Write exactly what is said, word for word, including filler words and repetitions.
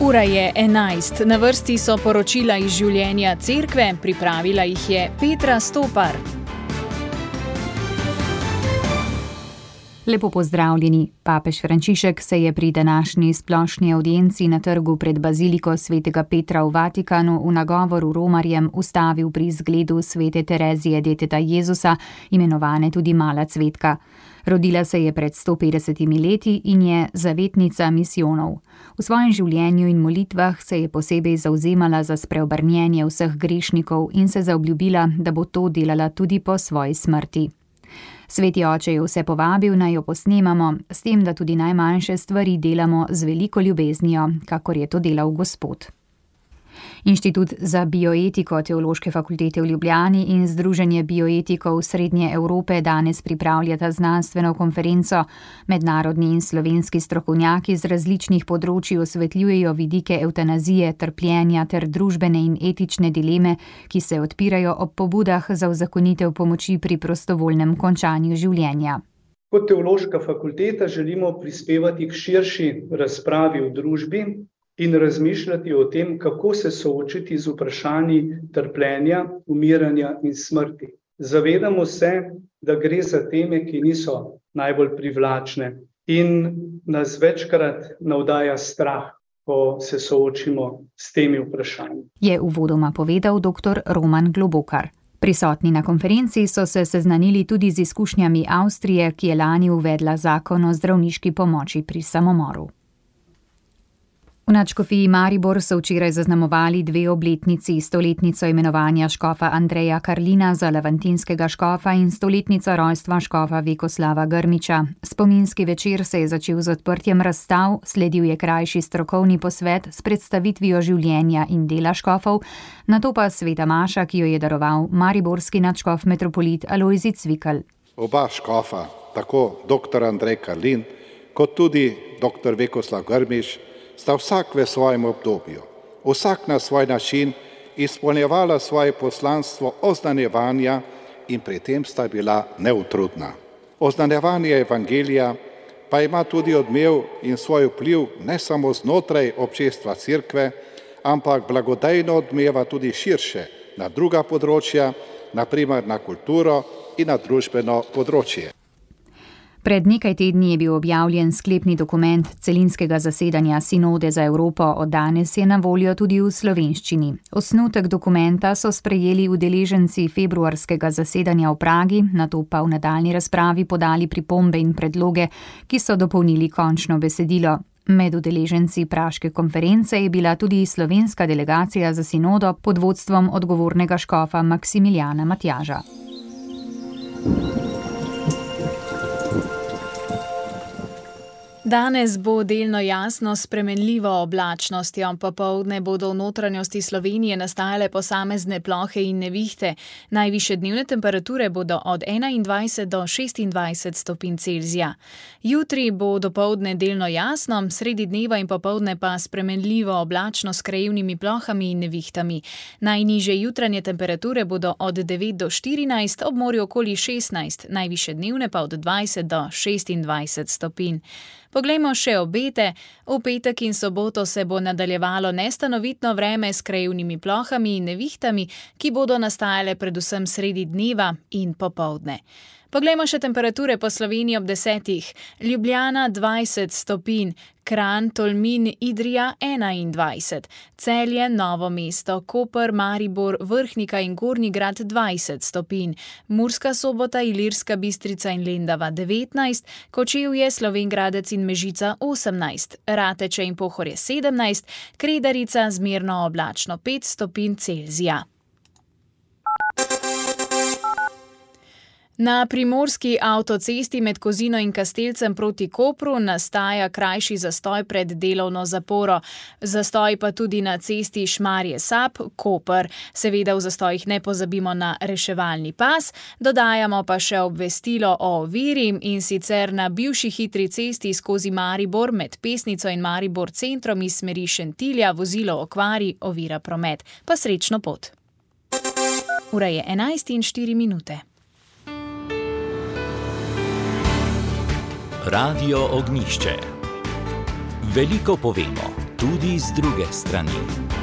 Ura je enajst, na vrsti so poročila iz življenja cerkve, pripravila jih je Petra Stopar. Lepo pozdravljeni. Papež Frančišek se je pri današnji splošni avdienci na trgu pred baziliko svetega Petra v Vatikanu v nagovoru romarjem ustavil pri zgledu svete Terezije deteta Jezusa, imenovane tudi Mala cvetka. Rodila se je pred sto petdesetimi leti in je zavetnica misijonov. V svojem življenju in molitvah se je posebej zavzemala za spreobrnjenje vseh grešnikov in se zaobljubila, da bo to delala tudi po svoji smrti. Sveti oče je vse povabil, naj jo posnemamo, s tem, da tudi najmanjše stvari delamo z veliko ljubeznijo, kakor je to delal Gospod. Inštitut za bioetiko Teološke fakultete v Ljubljani in Združenje bioetikov Srednje Evrope danes pripravljata znanstveno konferenco. Mednarodni in slovenski strokovnjaki z različnih področij osvetljujejo vidike evtanazije, trpljenja ter družbene in etične dileme, ki se odpirajo ob pobudah za uzakonitev pomoči pri prostovoljnem končanju življenja. Kot Teološka fakulteta želimo prispevati k širši razpravi v družbi in razmišljati o tem, kako se soočiti z vprašanji trpljenja, umiranja in smrti. Zavedamo se, da gre za teme, ki niso najbolj privlačne in nas večkrat navdaja strah, ko se soočimo s temi vprašanji. Je uvodoma povedal doktor Roman Globokar. Prisotni na konferenci so se seznanili tudi z izkušnjami Avstrije, ki je lani uvedla zakon o zdravniški pomoči pri samomoru. V nadškofiji Maribor so včeraj zaznamovali dve obletnici, stoletnico imenovanja škofa Andreja Karlina za levantinskega škofa in stoletnico rojstva škofa Vekoslava Grmiča. Spominski večer se je začel z odprtjem razstav, sledil je krajši strokovni posvet s predstavitvijo življenja in dela škofov, nato pa sveta maša, ki jo je daroval mariborski nadškof metropolit Alojzij Cvikl. Oba škofa, tako doktor Andrej Karlin kot tudi doktor Vekoslav Grmič, sta vsak v svojem obdobju, vsak na svoj način izpolnjevala svoje poslanstvo oznanjevanja in pri tem sta bila neutrudna. Oznanjevanje evangelija pa ima tudi odmev in svoj vpliv ne samo znotraj občestva cerkve, ampak blagodejno odmeva tudi širše na druga področja, na primer na kulturo in na družbeno področje. Pred nekaj tedni je bil objavljen sklepni dokument celinskega zasedanja Sinode za Evropo, od danes je na voljo tudi v slovenščini. Osnutek dokumenta so sprejeli udeleženci februarskega zasedanja v Pragi, nato pa v nadaljnji razpravi podali pripombe in predloge, ki so dopolnili končno besedilo. Med udeleženci praške konference je bila tudi slovenska delegacija za Sinodo pod vodstvom odgovornega škofa Maksimiljana Matjaža. Danes bo delno jasno s spremenljivo oblačnostjo, popoldne bodo v notranjosti Slovenije nastajale posamezne plohe in nevihte. Najvišje dnevne temperature bodo od enaindvajset do šestindvajset stopinj Celzija. Jutri bo dopoldne delno jasno, sredi dneva in popoldne pa spremenljivo oblačno s krajevnimi plohami in nevihtami. Najnižje jutranje temperature bodo od devet do štirinajst, ob morju okoli šestnajst, najvišje dnevne pa od dvajset do šestindvajset stopinj. Poglejmo še obete. V petek in soboto se bo nadaljevalo nestanovitno vreme s krajevnimi plohami in nevihtami, ki bodo nastajale predvsem sredi dneva in popoldne. Poglejmo še temperature po Sloveniji ob desetih. Ljubljana dvajset stopinj, Kranj, Tolmin, Idrija enaindvajset, Celje, Novo mesto, Koper, Maribor, Vrhnika in Gornji Grad dvajset stopinj, Murska Sobota, Ilirska Bistrica in Lendava devetnajst, Kočevje, Slovenj Gradec in Mežica osemnajst, Rateče in Pohorje sedemnajst, Kredarica zmerno oblačno pet stopinj Celzija. Na primorski avtocesti med Kozino in Kastelcem proti Kopru nastaja krajši zastoj pred delovno zaporo. Zastoj pa tudi na cesti Šmarje-Sap, Koper. Seveda v zastojih ne pozabimo na reševalni pas, dodajamo pa še obvestilo o oviri, in sicer na bivši hitri cesti skozi Maribor med Pesnico in Maribor centrom iz smeri Šentilja vozilo okvari, ovira promet. Pa srečno pot. Ura je enajst in štiri minute. Radio Ognjišče. Veliko povemo. tudi z druge strani.